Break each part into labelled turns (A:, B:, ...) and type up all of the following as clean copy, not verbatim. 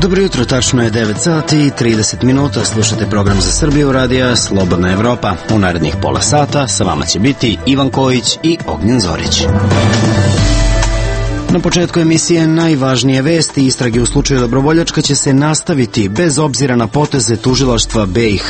A: Dobro jutro, tačno je 9 sati i 30 minuta. Slušate program za Srbiju radija Slobodna Evropa. U narednih pola sata sa vama će biti Ivan Kojić i Ognjen Zorić. Na početku emisije najvažnije vesti. Istrage u slučaju Dobrovoljačka će se nastaviti bez obzira na poteze tužilaštva BiH,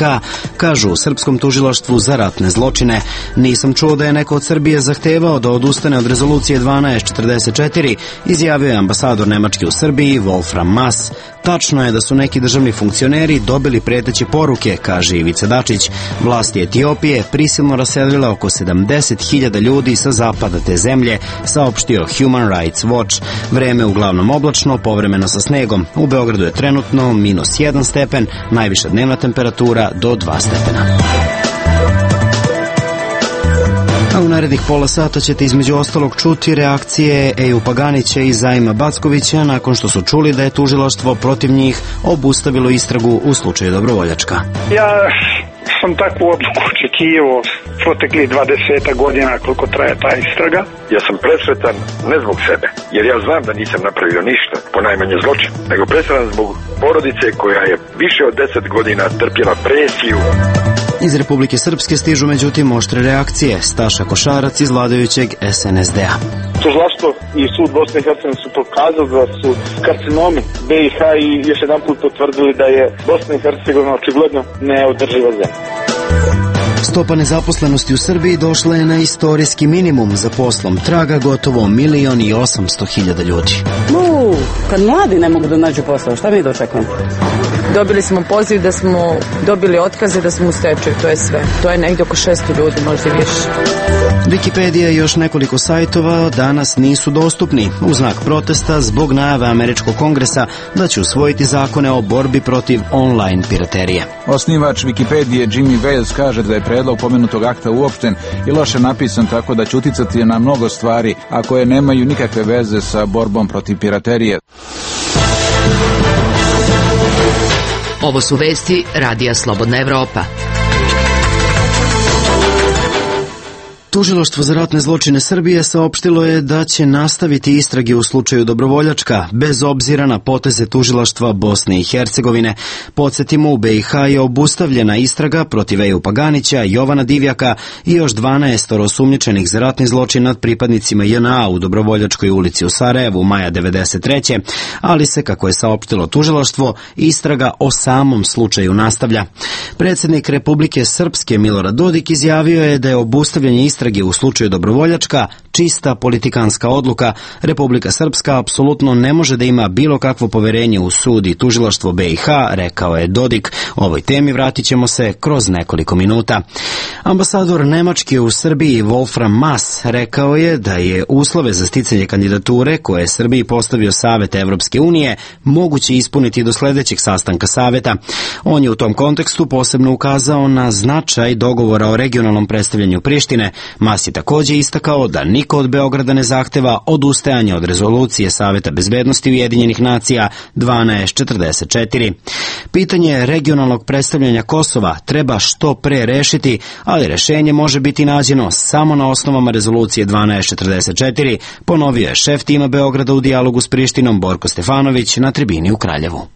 A: kažu u Srpskom tužilaštvu za ratne zločine. Nisam čuo da je neko od Srbije zahtevao da odustane od rezolucije 1244, izjavio je ambasador Nemačke u Srbiji Wolfram Maass. Tačno je da su neki državni funkcioneri dobili preteće poruke, kaže Ivica Dačić. Vlasti Etiopije prisilno raselila oko 70.000 ljudi sa zapada te zemlje, saopštio Human Rights Watch. Vreme uglavnom oblačno, povremeno sa snegom. U Beogradu je trenutno -1 stepen, najviša dnevna temperatura do 2 stepena. A u narednih pola sata ćete između ostalog čuti reakcije Eju Paganića i Zajma Backovića nakon što su čuli da je tužilaštvo protiv njih obustavilo istragu u slučaju Dobrovoljačka.
B: Ja sam takvu odluku očekivao proteklih 20 godina koliko traje ta istraga.
C: Ja sam presretan ne zbog sebe, jer ja znam da nisam napravio ništa, ponajmanje zločin, nego presretan zbog porodice koja je više od 10 godina trpjela presiju.
A: Iz Republike Srpske stižu međutim oštre reakcije. Staša Košarac iz vladajućeg SNSD-a.
D: Tužilaštvo i sud Bosne i Hercegovine su pokazali da su karcinomi BiH i još jedan put potvrdili da je Bosna i Hercegovina očigledno neodrživa zemlja.
A: Stopa nezaposlenosti u Srbiji došla je na istorijski minimum. Za poslom traga gotovo 1.800.000 ljudi.
E: Kad mladi ne mogu da nađu posao, šta mi dočekujemo? Dobili smo poziv da smo dobili otkaze, da smo u stečaju, to je sve. To je negdje oko 600 ljudi, možda i više.
A: Wikipedia i još nekoliko sajtova danas nisu dostupni u znak protesta zbog najave Američkog kongresa da će usvojiti zakone o borbi protiv online piraterije.
F: Osnivač Wikipedije Jimmy Wales kaže da je predlog pomenutog akta uopšten i loše napisan tako da će uticati na mnogo stvari, a koje nemaju nikakve veze sa borbom protiv piraterije.
G: Ovo su vesti Radija Slobodna Evropa.
A: Tužilaštvo za ratne zločine Srbije saopštilo je da će nastaviti istrage u slučaju Dobrovoljačka, bez obzira na poteze tužilaštva Bosne i Hercegovine. Podsjetimo, u BiH je obustavljena istraga protiv Eju Paganića, Jovana Divjaka i još 12 osumnjičenih za ratni zločin nad pripadnicima JNA u Dobrovoljačkoj ulici u Sarajevu maja 1993. Ali se, kako je saopštilo tužilaštvo, istraga o samom slučaju nastavlja. Predsjednik Republike Srpske Milorad Dodik izjavio je da je obustavljanje istrage u slučaju Dobrovoljačka čista politikanska odluka. Republika Srpska apsolutno ne može da ima bilo kakvo poverenje u sud i tužilaštvo BiH, rekao je Dodik. Ovoj temi vratit ćemo se kroz nekoliko minuta. Ambasador Nemačke u Srbiji Wolfram Maass rekao je da je uslove za sticanje kandidature koje je Srbiji postavio Savet Evropske unije moguće ispuniti do sledećeg sastanka Saveta. On je u tom kontekstu posebno ukazao na značaj dogovora o regionalnom predstavljanju Prištine. Maass je također istakao da niko od Beograda ne zahteva odustajanje od rezolucije Saveta bezbednosti Ujedinjenih nacija 1244. Pitanje regionalnog predstavljanja Kosova treba što pre rešiti, ali rešenje može biti nađeno samo na osnovama rezolucije 1244, ponovio je šef tima Beograda u dijalogu s Prištinom Borko Stefanović na tribini u Kraljevu.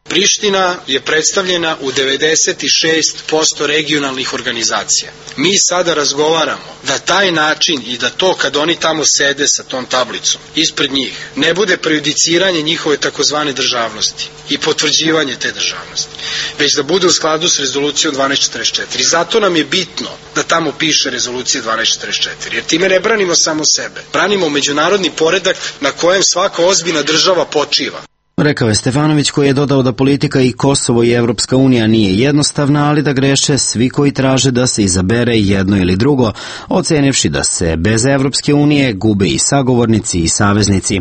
H: Priština je predstavljena u 96% regionalnih organizacija. Mi sada razgovaramo da taj način i da to kad oni tamo sede sa tom tablicom ispred njih ne bude prejudiciranje njihove takozvane državnosti i potvrđivanje te državnosti, već da bude u skladu s rezolucijom 1244. Zato nam je bitno da tamo piše rezolucija 1244, jer time ne branimo samo sebe, branimo međunarodni poredak na kojem svaka ozbiljna država počiva.
A: Rekao je Stefanović, koji je dodao da politika i Kosovo i Evropska unija nije jednostavna, ali da greše svi koji traže da se izabere jedno ili drugo, ocenivši da se bez Evropske unije gube i sagovornici i saveznici.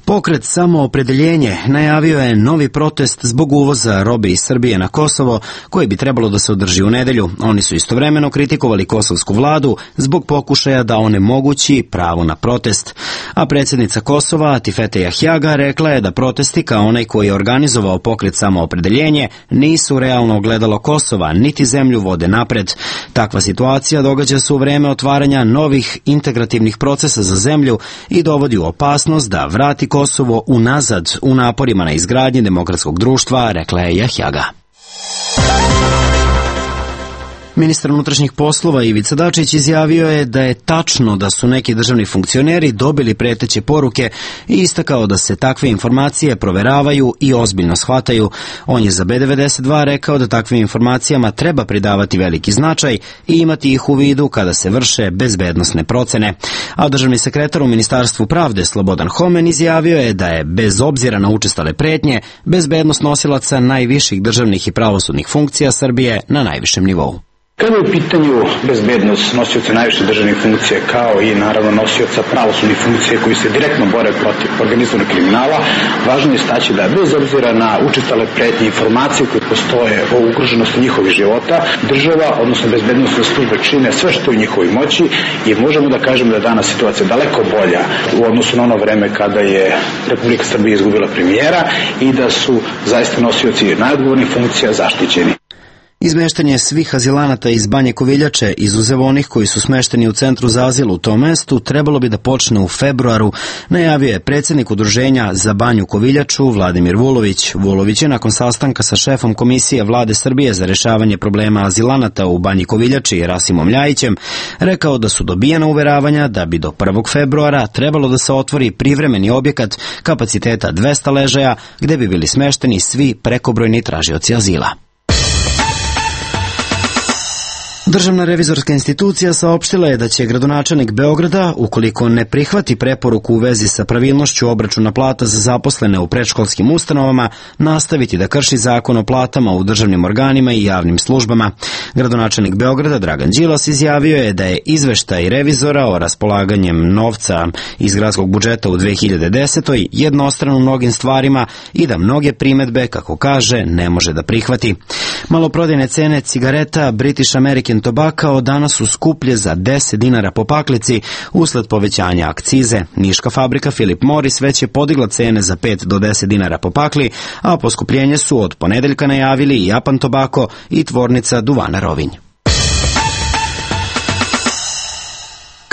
A: Pokret Samoopredeljenje najavio je novi protest zbog uvoza robe iz Srbije na Kosovo, koji bi trebalo da se održi u nedelju. Oni su istovremeno kritikovali kosovsku vladu zbog pokušaja da onemogući pravo na protest. A predsjednica Kosova, Atifete Jahjaga, rekla je da protesti kao onaj koji je organizovao pokret Samoopredeljenje, nisu realno ogledalo Kosova, niti zemlju vode napred. Takva situacija događa se u vreme otvaranja novih integrativnih procesa za zemlju i dovodi u opasnost da vrati Kosovo unazad u naporima na izgradnji demokratskog društva, rekla je Jahjaga. Ministar unutrašnjih poslova Ivica Dačić izjavio je da je tačno da su neki državni funkcioneri dobili preteće poruke i istakao da se takve informacije proveravaju i ozbiljno shvataju. On je za B92 rekao da takvim informacijama treba pridavati veliki značaj i imati ih u vidu kada se vrše bezbednosne procene. A državni sekretar u Ministarstvu pravde Slobodan Homen izjavio je da je, bez obzira na učestale pretnje, bezbednost nosilaca najviših državnih i pravosudnih funkcija Srbije na najvišem nivou.
I: Kada je u pitanju bezbednost nosioca najviše državnih funkcija kao i naravno nosioca pravosudnih funkcija koji se direktno bore protiv organizovanog kriminala, važno je istaći da bez obzira na učestale pretnje informacije koje postoje o ugroženosti njihovih života, država, odnosno bezbednosne službe čine sve što je u njihovoj moći i možemo da kažemo da je danas situacija daleko bolja u odnosu na ono vreme kada je Republika Srbija izgubila premijera i da su zaista nosioci najodgovornijih funkcija zaštićeni.
A: Izmeštanje svih azilanata iz Banje Koviljače, izuzev onih koji su smešteni u centru za azil u tom mestu, trebalo bi da počne u februaru, najavio je predsjednik Udruženja za Banju Koviljaču Vladimir Vulović. Vulović je nakon sastanka sa šefom Komisije Vlade Srbije za rešavanje problema azilanata u Banji Koviljači Rasimom Ljajićem rekao da su dobijena uveravanja da bi do 1. februara trebalo da se otvori privremeni objekat kapaciteta 200 ležaja gde bi bili smešteni svi prekobrojni tražioci azila. Državna revizorska institucija saopštila je da će gradonačelnik Beograda, ukoliko ne prihvati preporuku u vezi sa pravilnošću obračuna plata za zaposlene u predškolskim ustanovama, nastaviti da krši zakon o platama u državnim organima i javnim službama. Gradonačelnik Beograda Dragan Đilas izjavio je da je izveštaj revizora o raspolaganjem novca iz gradskog budžeta u 2010. jednostran u mnogim stvarima i da mnoge primedbe, kako kaže, ne može da prihvati. Maloprodajne cene cigareta British American Tobacco danas su skuplje za 10 dinara po paklici usled povećanja akcize. Niška fabrika Philip Morris već je podigla cene za 5 do 10 dinara po pakli, a poskupljenje su od ponedeljka najavili i Japan Tobacco i tvornica duvana Rovinj.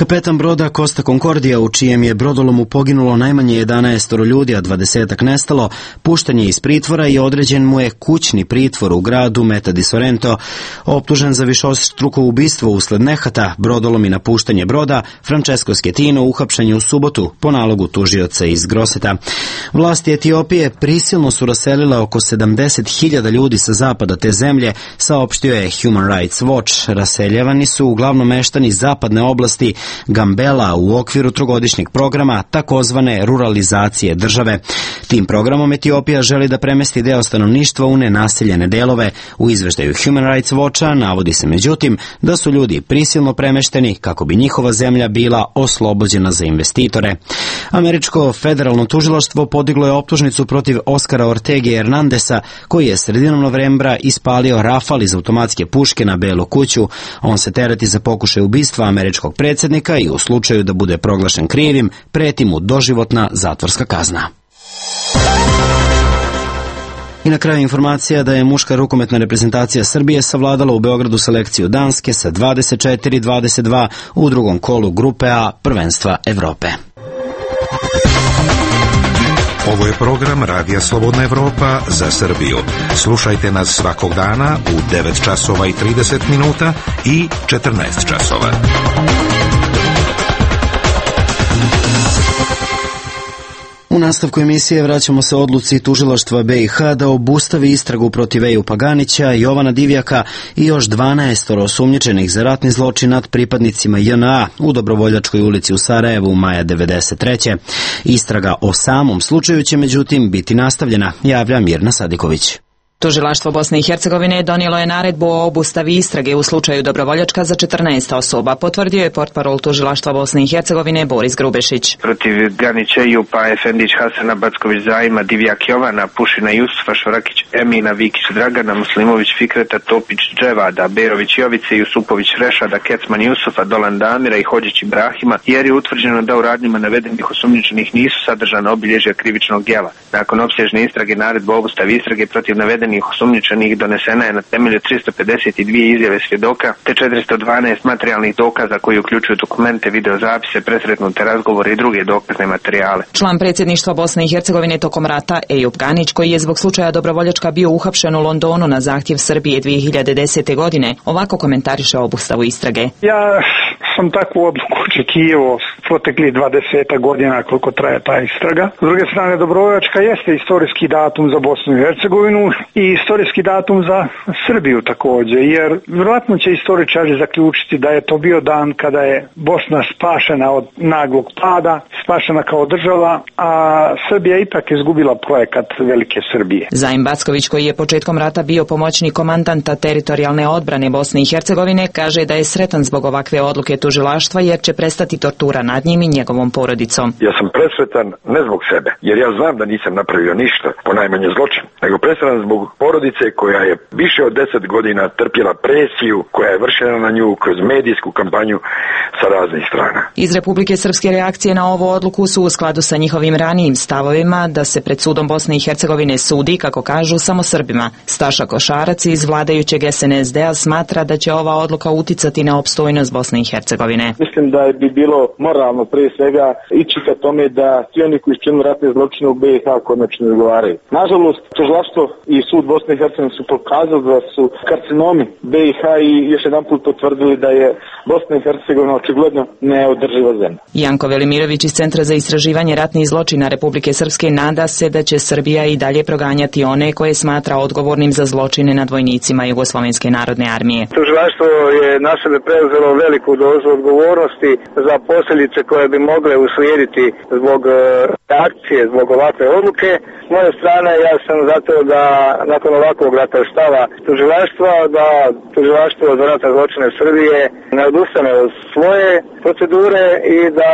A: Kapetan broda Costa Concordia, u čijem je brodolomu poginulo najmanje 11 ljudi, a 20-ak nestalo, pušten je iz pritvora i određen mu je kućni pritvor u gradu Meta di Sorrento. Optužen za višestruko ubistvo usled nehata, brodolom i napuštanje broda, Francesco Schettino uhapšen je u subotu po nalogu tužioca iz Groseta. Vlasti Etiopije prisilno su raselile oko 70.000 ljudi sa zapada te zemlje, saopštio je Human Rights Watch. Raseljavani su uglavnom meštani zapadne oblasti Gambela u okviru trogodišnjeg programa takozvane ruralizacije države. Tim programom Etiopija želi da premesti deo stanovništva u nenaseljene delove. U izveštaju Human Rights Watcha navodi se međutim da su ljudi prisilno premešteni kako bi njihova zemlja bila oslobođena za investitore. Američko federalno tužilaštvo podiglo je optužnicu protiv Oskara Ortege Hernandesa, koji je sredinom novembra ispalio rafal iz automatske puške na Belu kuću. On se tereti za pokušaj ubistva američkog predsjednika i u slučaju da bude proglašen krivim, preti mu doživotna zatvorska kazna. I na kraju informacija da je muška rukometna reprezentacija Srbije savladala u Beogradu selekciju Danske sa 24-22 u drugom kolu grupe A prvenstva Evrope.
J: Ovo je program Radija Slobodna Evropa za Srbiju. Slušajte nas svakog dana u 9 časova i 30 minuta i 14 časova.
A: U nastavku emisije vraćamo se odluci tužilaštva BiH da obustavi istragu protiv Eju Paganića, Jovana Divjaka i još 12 osumnjičenih za ratni zločin nad pripadnicima JNA u Dobrovoljačkoj ulici u Sarajevu maja 1993. Istraga o samom slučaju će međutim biti nastavljena, javlja Mirna Sadiković.
K: Tužilaštvo Bosne i Hercegovine donijelo je naredbu o obustavi istrage u slučaju Dobrovoljačka za 14 osoba, potvrdio je portparol Tužilaštva Bosne i Hercegovine Boris Grubešić.
L: Protiv Ganića Jupa, Efendić Hasana, Backović Zajma, Divjak Jovana, Pušina Jusufa, Šorakić Emina, Vikić Dragana, Muslimović Fikreta, Topić Dževada, Berović Jovice, Jusupović Rešada, Kecman Jusufa, Dolan Damira i Hođić Ibrahima, jer je utvrđeno da u radnjima navedenih osumnjičenih nisu sadržana obilježja krivičnog djela. Nakon opsežne istrage naredba o obustavi istrage protiv navedenih osumnjičenih donesena je na temelju 352 izjave svjedoka te 412 materijalnih dokaza koji uključuju dokumente, videozapise, presretnute razgovore i druge dokazne materijale.
K: Član predsjedništva Bosne i Hercegovine tokom rata Ejup Ganić, koji je zbog slučaja Dobrovoljačka bio uhapšen u Londonu na zahtjev Srbije 2010. godine, ovako komentariše obustavu istrage.
B: Ja sam takvu odluku očekivao proteklih 20 godina koliko traje ta istraga. S druge strane, Dobrovoljačka jeste istorijski datum za Bosnu i Hercegovinu i istorijski datum za Srbiju također, jer vjerojatno će istoričari zaključiti da je to bio dan kada je Bosna spašena od naglog pada, spašena kao država, a Srbija ipak izgubila projekat Velike Srbije.
K: Zajm Backović, koji je početkom rata bio pomoćnik komandanta teritorijalne odbrane Bosne i Hercegovine, kaže da je sretan zbog ovakve odluke tužilaštva jer će prestati tortura nad njim i njegovom porodicom.
C: Ja sam presretan ne zbog sebe, jer ja znam da nisam napravio ništa, ponajmanje zločin, nego presretan zbog porodice koja je više od 10 godina trpjela presiju koja je vršena na nju kroz medijsku kampanju sa raznih strana.
K: Iz Republike Srpske reakcije na ovu odluku su u skladu sa njihovim ranijim stavovima da se pred sudom Bosne i Hercegovine sudi, kako kažu, samo Srbima. Staša Košarac iz vladajućeg SNSD-a smatra da će ova odluka uticati na opstojnost Bosne i Hercegovine.
D: Mislim da bi bilo moralno prije svega ići ka tome da svi oni koji su činili ratne zločine u BiH konačno odgovaraju. Nažalost, tužilaštvo i sud Bosne i Hercegovine su pokazali da su karcinomi BiH i još jedan put potvrdili da je Bosna i Hercegovina očigledno neodrživa zemlja.
K: Janko Velimirović iz Centra za istraživanje ratnih zločina Republike Srpske nada se da će Srbija i dalje proganjati one koje smatra odgovornim za zločine nad vojnicima Jugoslovenske narodne armije.
L: Tužilaštvo je na sebe preuzelo veliku dozu odgovornosti za posljedice koje bi mogle uslijediti zbog reakcije, zbog ovakve odluke. S moje strane ja sam zato da nakon ovakvog ratnog stava tužilaštva, da tužilaštvo za ratne zločine Srbije ne odustane od svoje procedure i da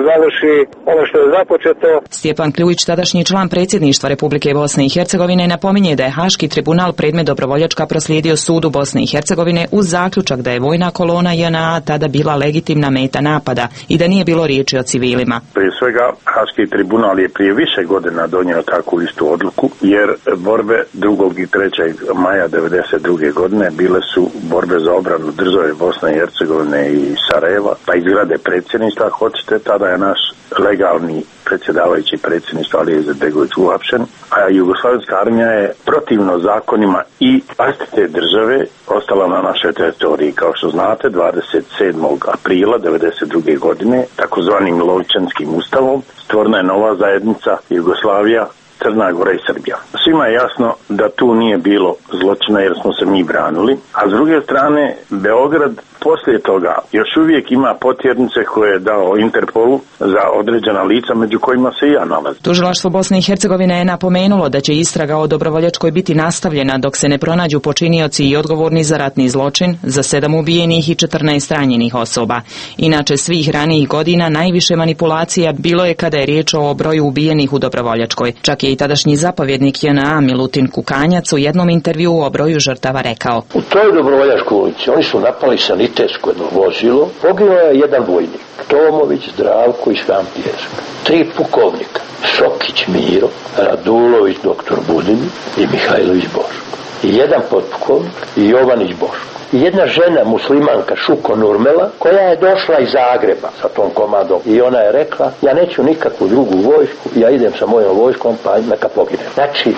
L: završi ono što je započeto.
K: Stjepan Kljujić, tadašnji član predsjedništva Republike Bosne i Hercegovine, napominje da je Haški tribunal predmet Dobrovoljačka proslijedio sudu Bosne i Hercegovine uz zaključak da je vojna kolona JNA tada bila legitimna meta napada i da nije bilo riječi o civilima.
M: Prije svega, Haški tribunal je prije više godina donio takvu istu odluku, jer borbe 2. i 3. maja 1992. godine bile su borbe za obranu države Bosne i Hercegovine i Sarajeva, pa i zgrade predsjedništva, hoćete, tada je naš legalni predsjedavajući predsjedništva Alija Izetbegović uhapšen, a Jugoslavenska armija je protivno zakonima i vlastite države ostala na našoj teritoriji. Kao što znate, 27. aprila 1992. godine, takozvanim Lovičanskim ustavom, stvorena je nova zajednica Jugoslavija, Crna Gora i Srbija. Svima je jasno da tu nije bilo zločina jer smo se mi branili, a s druge strane Beograd poslije toga još uvijek ima potjernice koje je dao Interpolu za određena lica, među kojima se i ja nalazim.
K: Tužilaštvo Bosne i Hercegovine je napomenulo da će istraga o Dobrovoljačkoj biti nastavljena dok se ne pronađu počinioci i odgovorni za ratni zločin, za 7 ubijenih i 14 ranjenih osoba. Inače, svih ranijih godina najviše manipulacija bilo je kada je riječ o broju ubijenih u Dobrovoljačkoj. Čak je i tadašnji zapovjednik JNA Milutin Kukanjac u jednom intervjuu o broju žrtava rekao:
N: U toj Dobrovoljačkoj ulici oni su napali sanitetsko jedno vozilo, poginuo je jedan vojnik, Tomović Zdravko iz Škampijeska, 3 pukovnika, Šokić Miro, Radulović dr. Budin i Mihajlović Boško, i jedan potpukovnik i Jovanić Boško. I jedna žena muslimanka Šuko Nurmela koja je došla iz Zagreba sa tom komadom i ona je rekla: ja neću nikakvu drugu vojsku, ja idem sa mojom vojskom pa neka pogine. Znači 6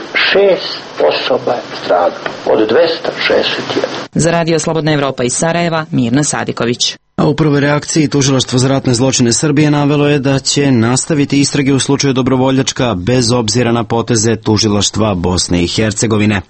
N: osoba je stradalo od 261.
K: Za Radio Slobodna Evropa iz Sarajeva, Mirna Sadiković.
A: A u prvoj reakciji Tužilaštvo za ratne zločine Srbije navelo je da će nastaviti istrage u slučaju Dobrovoljačka bez obzira na poteze Tužilaštva Bosne i Hercegovine.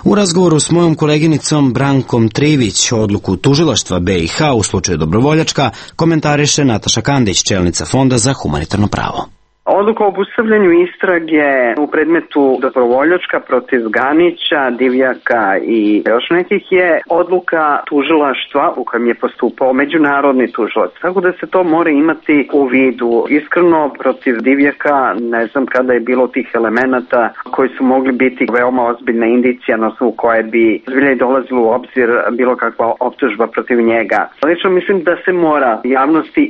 A: U razgovoru s mojom koleginicom Brankom Trivić odluku Tužilaštva BiH u slučaju Dobrovoljačka komentariše Nataša Kandić, čelnica Fonda za humanitarno pravo.
O: Odluka o obustavljanju istrage u predmetu Dobrovoljačka protiv Ganića, Divjaka i još nekih je odluka tužilaštva u kojem je postupao međunarodni tužilac. Tako da se to mora imati u vidu. Iskreno, protiv Divjaka ne znam kada je bilo tih elemenata koji su mogli biti veoma ozbiljna indicija na osnovu koje bi zbilja i dolazilo u obzir bilo kakva optužba protiv njega. Lično mislim da se mora javnosti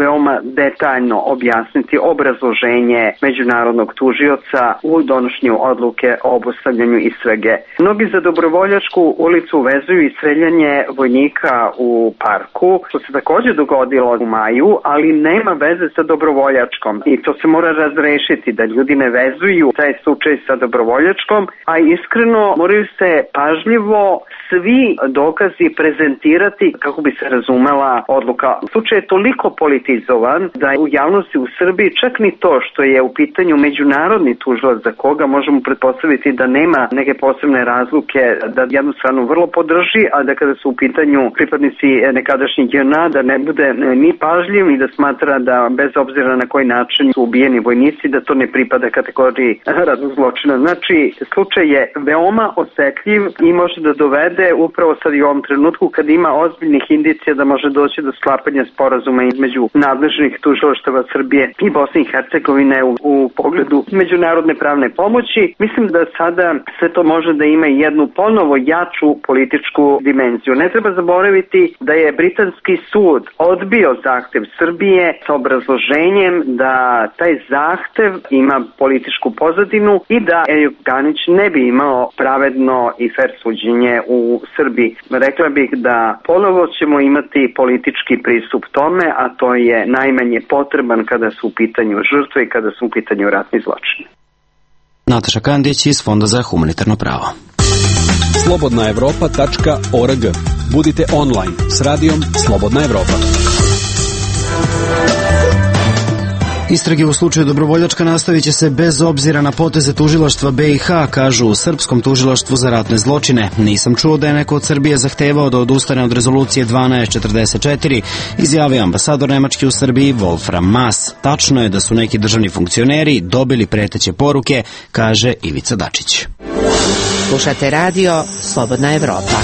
O: veoma detaljno objasniti obrazloženje međunarodnog tužioca u donošenju odluke o obustavljanju istrage. Mnogi za Dobrovoljačku ulicu vezuju i streljanje vojnika u parku, što se također dogodilo u maju, ali nema veze sa Dobrovoljačkom i to se mora razrešiti, da ljudi ne vezuju taj slučaj sa Dobrovoljačkom, a iskreno moraju se pažljivo svi dokazi prezentirati kako bi se razumela odluka. Slučaj je toliko politizovan da je u javnosti u Srbiji čak ni to što je u pitanju međunarodni tužilac za koga možemo pretpostaviti da nema neke posebne razluke, da jednu stranu vrlo podrži, a da kada su u pitanju pripadnici nekadašnjih JNA da ne bude ni pažljiv i da smatra da bez obzira na koji način su ubijeni vojnici da to ne pripada kategoriji ratnog zločina. Znači, slučaj je veoma osetljiv i može da dovede upravo sad i u ovom trenutku kad ima ozbiljnih indicija da može doći do sklapanja sporazuma između nadležnih tužilaštava Srbije i Bosne i Hercegovine u pogledu međunarodne pravne pomoći. Mislim da sada sve to može da ima i jednu ponovo jaču političku dimenziju. Ne treba zaboraviti da je britanski sud odbio zahtev Srbije sa obrazloženjem da taj zahtev ima političku pozadinu i da Ejup Ganić ne bi imao pravedno i fer suđenje u Srbiji. Rekla bih da ponovo ćemo imati politički pristup tome, a to je najmanje potreban kada su u pitanju žrtve i kada su u pitanju ratni zločini.
A: Nataša Kandić iz Fonda za humanitarno pravo.
P: slobodnaevropa.org. Budite online s radijom Slobodna Evropa.
A: Istrage u slučaju Dobrovoljačka nastavit će se bez obzira na poteze tužilaštva BiH, kažu u Srpskom tužilaštvu za ratne zločine. Nisam čuo da je neko od Srbije zahtevao da odustane od rezolucije 1244, izjavio ambasador Nemačke u Srbiji Wolfram Maas. Tačno je da su neki državni funkcioneri dobili preteće poruke, kaže Ivica Dačić.
G: Slušate radio Slobodna Evropa.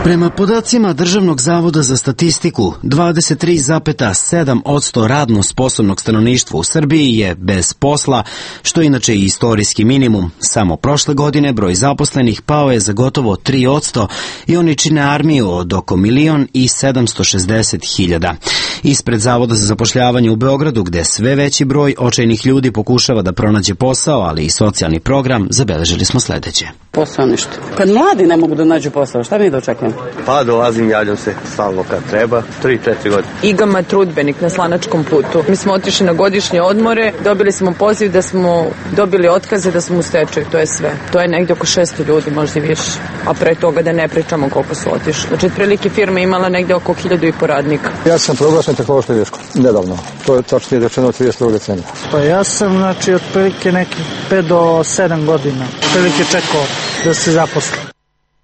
A: Prema podacima Državnog zavoda za statistiku, 23,7% radno sposobnog stanovništva u Srbiji je bez posla, što je inače i istorijski minimum. Samo prošle godine broj zaposlenih pao je za gotovo 3% i oni čine armiju od oko 1.760.000. Ispred Zavoda za zapošljavanje u Beogradu, gde sve veći broj očajnih ljudi pokušava da pronađe posao, ali i socijalni program, zabeležili smo sledeće.
E: Posao ništa. Kad mladi ne mogu da nađu posao, šta mi da očekujemo?
Q: Pa dolazim, javljam se stalno kad treba, 3-4 godine.
E: Igama Trudbenik na Slanačkom putu. Mi smo otišli na godišnje odmore, dobili smo poziv da smo dobili otkaze, da smo u stečaju, to je sve. To je negdje oko 600 ljudi, možda i više. A pre toga da ne pričamo koliko su otišli. Znači, otprilike firma imala negdje oko 1.500 radnika.
R: Ja sam proglašen tehnološkom greškom, nedavno. To je tačno rečeno 32. decembra.
S: Pa ja sam, znači, otprilike nekih 5 do 7 godina. Otprilike čekao da se zaposli.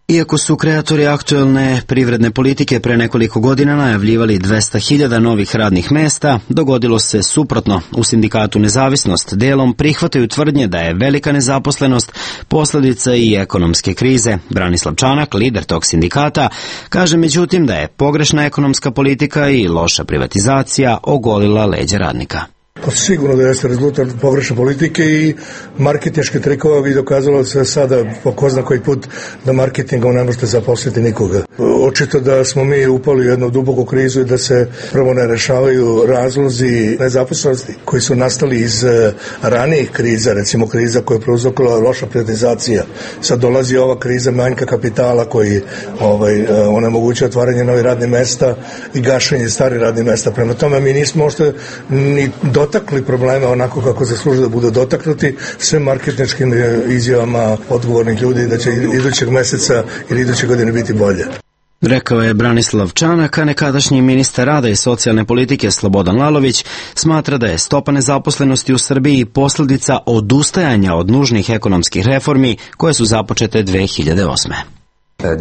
A: Iako su kreatori aktuelne privredne politike pre nekoliko godina najavljivali 200.000 novih radnih mesta, dogodilo se suprotno. U sindikatu Nezavisnost delom prihvataju tvrdnje da je velika nezaposlenost posledica i ekonomske krize. Branislav Čanak, lider tog sindikata, kaže međutim da je pogrešna ekonomska politika i loša privatizacija ogolila leđa radnika.
T: Pa sigurno da jeste rezultat pogrešne politike i marketinške trikova bi dokazalo se sada po ko zna koji put da marketingom ne možete zaposliti nikoga. Očito da smo mi upali u jednu duboku krizu i da se prvo ne rešavaju razlozi nezaposlenosti koji su nastali iz ranijih kriza, recimo kriza koja je prouzrokovala loša privatizacija. Sad dolazi ova kriza manjka kapitala koji onemogućuje otvaranje novih radnih mesta i gašenje starih radnih mesta. Prema tome mi nismo možda ni dotakli probleme onako kako zaslužuju da budu dotaknuti sve marketinškim izjavama odgovornih ljudi da će idućeg meseca ili iduće godine biti bolje.
A: Rekao je Branislav Čanak, a nekadašnji ministar rada i socijalne politike Slobodan Lalović smatra da je stopa nezaposlenosti u Srbiji posljedica odustajanja od nužnih ekonomskih reformi koje su započete 2008.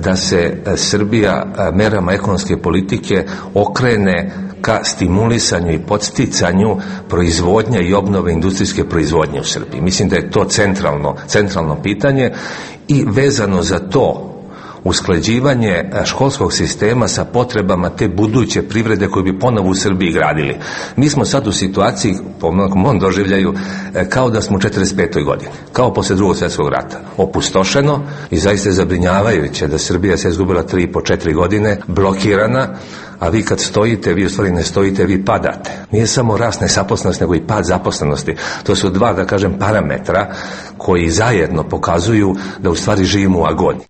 U: da se Srbija merama ekonomske politike okrene ka stimulisanju i podsticanju proizvodnje i obnove industrijske proizvodnje u Srbiji. Mislim da je to centralno pitanje i vezano za to usklađivanje školskog sistema sa potrebama te buduće privrede koju bi ponovo u Srbiji gradili. Mi smo sad u situaciji, po mom doživljaju, kao da smo u 45. godini, kao posle Drugog svjetskog rata. Opustošeno i zaista je zabrinjavajuće da Srbija se izgubila 3,5-4 godine, blokirana, a vi kad stojite, vi u stvari ne stojite, vi padate. Nije samo rast nezaposlenosti, nego i pad zaposlenosti. To su dva, da kažem, parametra koji zajedno pokazuju da u stvari živimo u agoniji.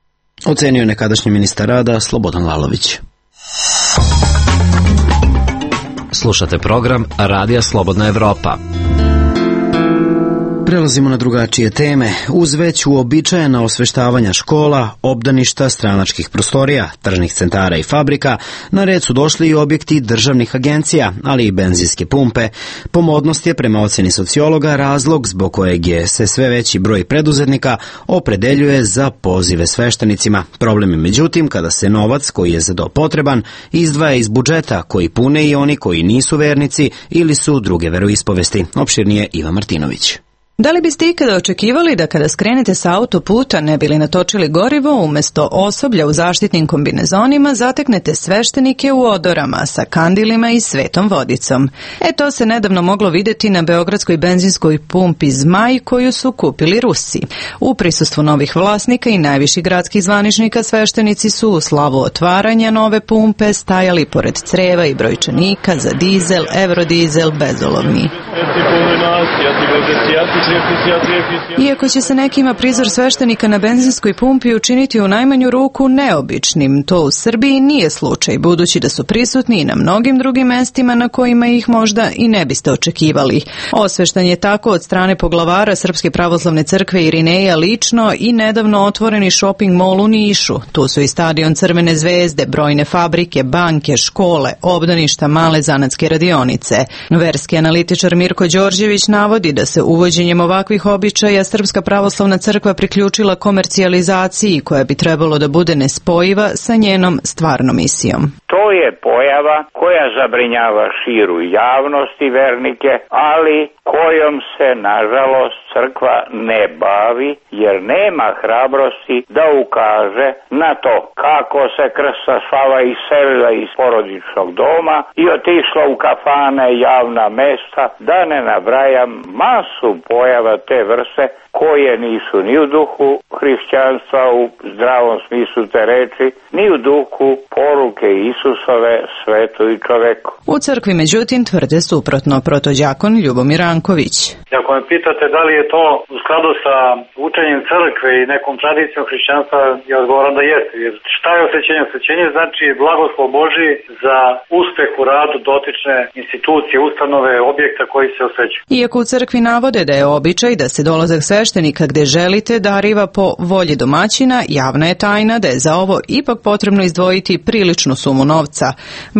A: Ocenio nekadašnji ministar rada Slobodan Lalović.
V: Slušate program Radija Slobodna Evropa.
A: Prelazimo na drugačije teme. Uz već uobičajena osveštavanja škola, obdaništa, stranačkih prostorija, tržnih centara i fabrika, na red su došli i objekti državnih agencija, ali i benzinske pumpe. Pomodnost je, prema oceni sociologa, razlog zbog kojeg je se sve veći broj preduzetnika opredeljuje za pozive sveštenicima. Problem je međutim kada se novac koji je za to potreban izdvaja iz budžeta koji pune i oni koji nisu vernici ili su druge veroispovesti. Opširnije Iva Martinović.
W: Da li biste ikada očekivali da kada skrenete sa autoputa ne bili natočili gorivo, umjesto osoblja u zaštitnim kombinezonima zateknete sveštenike u odorama sa kandilima i svetom vodicom? To se nedavno moglo vidjeti na beogradskoj benzinskoj pumpi Zmaj koju su kupili Rusi. U prisustvu novih vlasnika i najviših gradskih zvaničnika sveštenici su u slavu otvaranja nove pumpe stajali pored creva i brojčanika za dizel, eurodizel, bezolovni. Iako će se nekima prizor sveštenika na benzinskoj pumpi učiniti u najmanju ruku neobičnim, to u Srbiji nije slučaj, budući da su prisutni i na mnogim drugim mestima na kojima ih možda i ne biste očekivali. Osveštan je tako od strane poglavara Srpske pravoslavne crkve Irineja lično i nedavno otvoreni shopping mall u Nišu. Tu su i stadion Crvene zvezde, brojne fabrike, banke, škole, obdaništa, male zanatske radionice. Verski analitičar Mirko Đorđević navodi da se uvođenjem ovakvih običaja Srpska pravoslavna crkva priključila komercijalizaciji koja bi trebalo da bude nespojiva sa njenom stvarnom misijom.
X: To je pojava koja zabrinjava širu javnost i vernike, ali kojom se, nažalost, crkva ne bavi, jer nema hrabrosti da ukaže na to kako se Krsta Slava iselila iz porodičnog doma i otišla u kafane, javna mesta, da ne nabrajam masu pojava te vrste koje nisu ni u duhu hrišćanstva u zdravom smislu te reči, ni u duhu poruke Isusove svetu i čoveku.
W: U crkvi međutim tvrde suprotno, protođakon Ljubomir Ranković.
Y: Ako me pitate da li je to u skladu sa učenjem crkve i nekom tradicijom hrišćanstva, ja odgovaram da jeste. Jer šta je osvećenje? Osvećenje znači blagoslov Božji za uspeh u radu dotične institucije, ustanove, objekta koji se osvećuju.
W: Iako u crkvi navode da je običaj da se dolazak sveštenika gde želite dariva po volji domaćina, javna je tajna da je za ovo ipak potrebno izdvojiti priličnu sumu novca,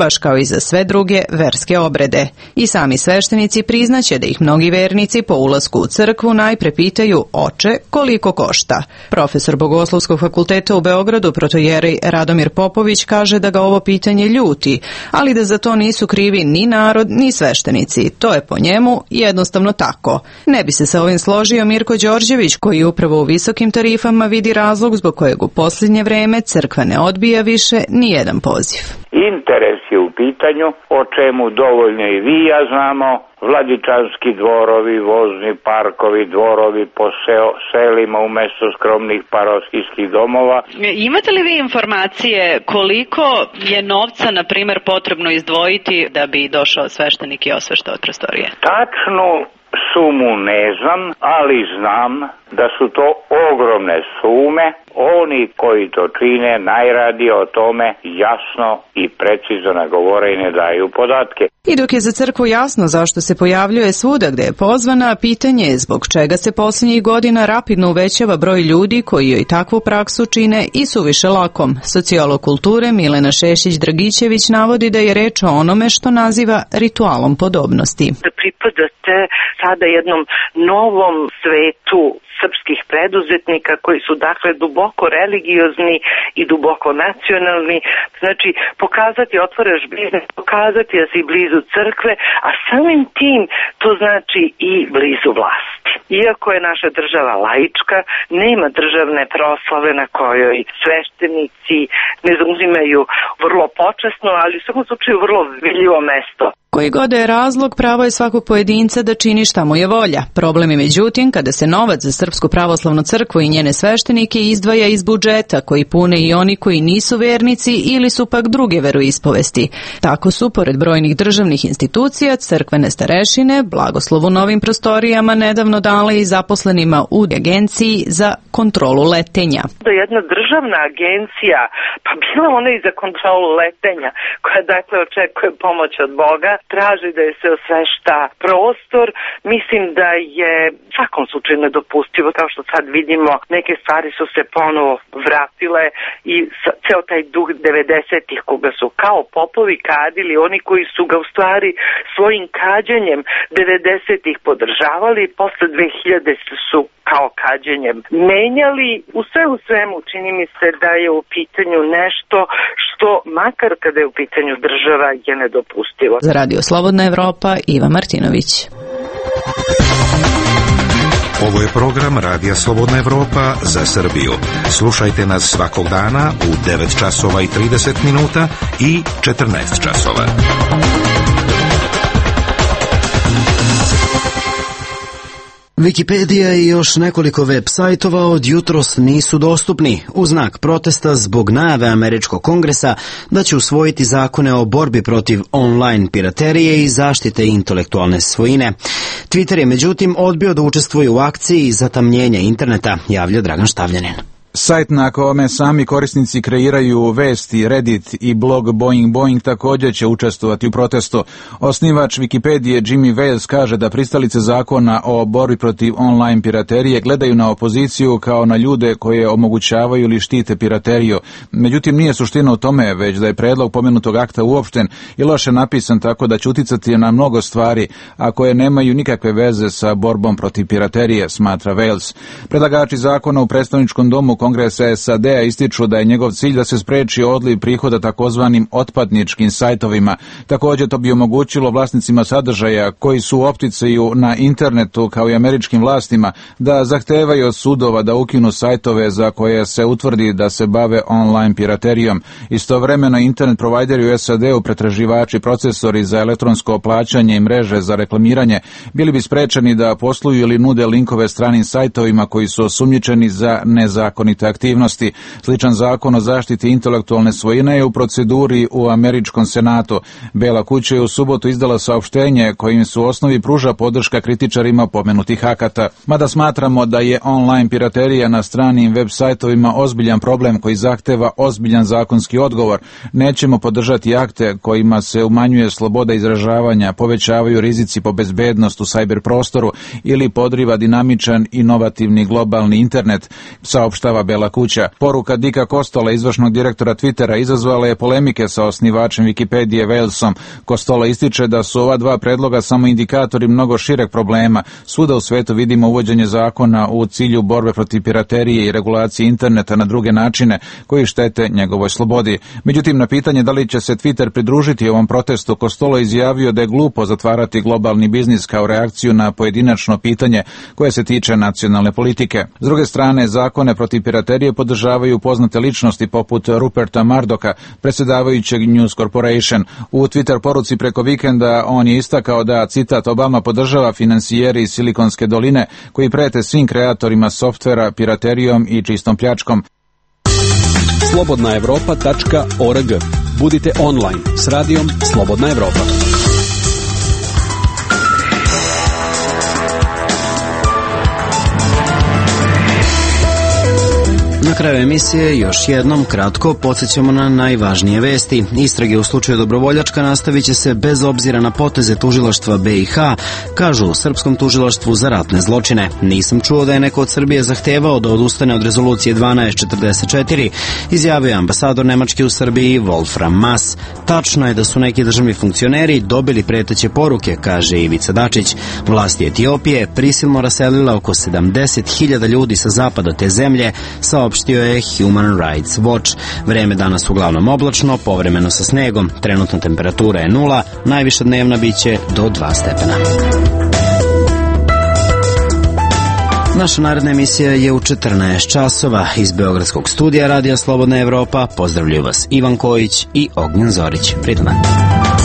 W: baš kao i za sve druge verske obrede. I sami sveštenici priznaće da ih mnogi vernici po ulasku u crkvu najpre pitaju: oče, koliko košta? Profesor Bogoslovskog fakulteta u Beogradu, protojerej Radomir Popović, kaže da ga ovo pitanje ljuti, ali da za to nisu krivi ni narod, ni sveštenici. To je po njemu jednostavno tako. Ne bi se sa ovim složio Mirko Đorđević, koji upravo u visokim tarifama vidi razlog zbog kojeg u posljednje vreme crkva ne odbija više ni jedan poziv.
X: Interes je u pitanju, o čemu dovoljno i vi ja znamo, Vladičanski dvorovi, vozni parkovi, dvorovi po selima umjesto skromnih parohijskih domova.
W: Imate li vi informacije koliko je novca, na primjer, potrebno izdvojiti da bi došao sveštenik i osveštao prostorije?
X: Tačnu sumu ne znam, ali znam da su to ogromne sume. Oni koji to čine najradije o tome jasno i precizno ne govore i ne daju podatke.
W: I dok je za crkvu jasno zašto se pojavljuje svuda gde je pozvana, pitanje je zbog čega se posljednjih godina rapidno uvećava broj ljudi koji joj takvu praksu čine i suviše lakom. Sociolog kulture Milena Šešić-Dragićević navodi da je reč o onome što naziva ritualom podobnosti.
Z: Da pripadate
B: sada jednom novom svetu srpskih preduzetnika koji su dakle duboko religiozni i duboko nacionalni. Znači pokazati otvaraš biznis, pokazati da si blizu crkve, a samim tim to znači i blizu vlasti. Iako je naša država laička, nema državne proslave na kojoj sveštenici ne zauzimaju vrlo počasno, ali u svakom slučaju vrlo vidljivo mesto.
W: Koji god je razlog, pravo je svakog pojedinca da čini šta mu je volja. Problem je međutim kada se novac za Srpsku pravoslavnu crkvu i njene sveštenike izdvaja iz budžeta, koji pune i oni koji nisu vernici ili su pak druge veroispovesti. Tako su, pored brojnih državnih institucija, crkvene starešine blagoslovu novim prostorijama nedavno dale i zaposlenima u agenciji za kontrolu letenja.
B: Jedna državna agencija, pa bila ona i za kontrolu letenja, koja dakle očekuje pomoć od Boga, traži da je se osvešta prostor. Mislim da je u svakom slučaju nedopustivo, kao što sad vidimo, neke stvari su se ponovo vratile i ceo taj duh 90-ih koga su kao popovi kadili, oni koji su ga u stvari svojim kađenjem 90-ih podržavali, posle 2000 su kao kađenjem menjali. U svemu čini mi se da je u pitanju nešto što, makar kada je u pitanju država, je nedopustivo.
W: Za Radio Slobodna Evropa, Iva Martinović.
F: Ovo je program Radija Slobodna Evropa za Srbiju. Slušajte nas svakog dana u 9 časova i 30 minuta i 14 časova.
A: Wikipedija i još nekoliko web sajtova od jutros nisu dostupni u znak protesta zbog najave Američkog kongresa da će usvojiti zakone o borbi protiv online piraterije i zaštite intelektualne svojine. Twitter je međutim odbio da učestvuje u akciji zatamnjenja interneta, javlja Dragan Štavljanin.
H: Sajt na kome sami korisnici kreiraju vesti, Reddit i blog Boing također će učestvovati u protestu. Osnivač Wikipedije Jimmy Wales kaže da pristalice zakona o borbi protiv online piraterije gledaju na opoziciju kao na ljude koje omogućavaju ili štite pirateriju. Međutim, nije suština u tome, već da je predlog pomenutog akta uopšten i loše napisan tako da će uticati na mnogo stvari, a koje nemaju nikakve veze sa borbom protiv piraterije, smatra Wales. Predlagači zakona u predstavničkom domu Kongresa SAD-a ističu da je njegov cilj da se spreči odliv prihoda takozvanim otpadničkim sajtovima. Također to bi omogućilo vlasnicima sadržaja koji su u opticaju na internetu kao i američkim vlastima da zahtevaju od sudova da ukinu sajtove za koje se utvrdi da se bave online piraterijom. Istovremeno internet provajderi u SAD-u, pretraživači, procesori za elektronsko plaćanje i mreže za reklamiranje bili bi sprečeni da posluju ili nude linkove stranim sajtovima koji su osumnjičeni za nezakonite aktivnosti. Sličan zakon o zaštiti intelektualne svojine je u proceduri u američkom senatu. Bela kuća je u subotu izdala saopštenje kojim su u osnovi pruža podrška kritičarima pomenutih akata. Mada smatramo da je online piraterija na stranim web sajtovima ozbiljan problem koji zahteva ozbiljan zakonski odgovor, nećemo podržati akte kojima se umanjuje sloboda izražavanja, povećavaju rizici po bezbednost u cyber prostoru ili podriva dinamičan, inovativni globalni internet, saopštava Bela kuća. Poruka Dicka Costola, izvršnog direktora Twittera, izazvala je polemike sa osnivačem Wikipedije Walesom. Costola ističe da su ova dva predloga samo indikatori mnogo šireg problema. Svuda u svetu vidimo uvođenje zakona u cilju borbe protiv piraterije i regulacije interneta na druge načine koji štete njegovoj slobodi. Međutim, na pitanje da li će se Twitter pridružiti ovom protestu, Costola izjavio da je glupo zatvarati globalni biznis kao reakciju na pojedinačno pitanje koje se tiče nacionalne politike. S druge strane, zakone protiv piraterije podržavaju poznate ličnosti poput Ruperta Murdocha, predsjedavajućeg News Corporation. U Twitter poruci preko vikenda on je istakao da, citat, Obama podržava finansijeri iz Silikonske doline koji prete svim kreatorima softvera piraterijom i čistom pljačkom.
P: slobodnaevropa.org. Budite online s radijom Slobodna Evropa.
A: Na kraju emisije još jednom kratko podsjećamo na najvažnije vesti. Istrage u slučaju Dobrovoljačka nastavit će se bez obzira na poteze tužilaštva BiH, kažu u Srpskom tužilaštvu za ratne zločine. Nisam čuo da je neko od Srbije zahtevao da odustane od rezolucije 1244, izjavio je ambasador Nemačke u Srbiji Wolfram Maas. Tačno je da su neki državni funkcioneri dobili preteće poruke, kaže Ivica Dačić. Vlasti Etiopije prisilno raselila oko 70.000 ljudi sa zapada te zemlje, saopštio je Human Rights Watch. Vreme danas uglavnom oblačno, povremeno sa snegom. Trenutna temperatura je 0, najviša dnevna biće do 2 stepena. Naša naredna emisija je u 14 časova. Iz Beogradskog studija Radija Slobodna Evropa pozdravljaju vas Ivan Kojić i Ognjen Zorić. Prijetan dan.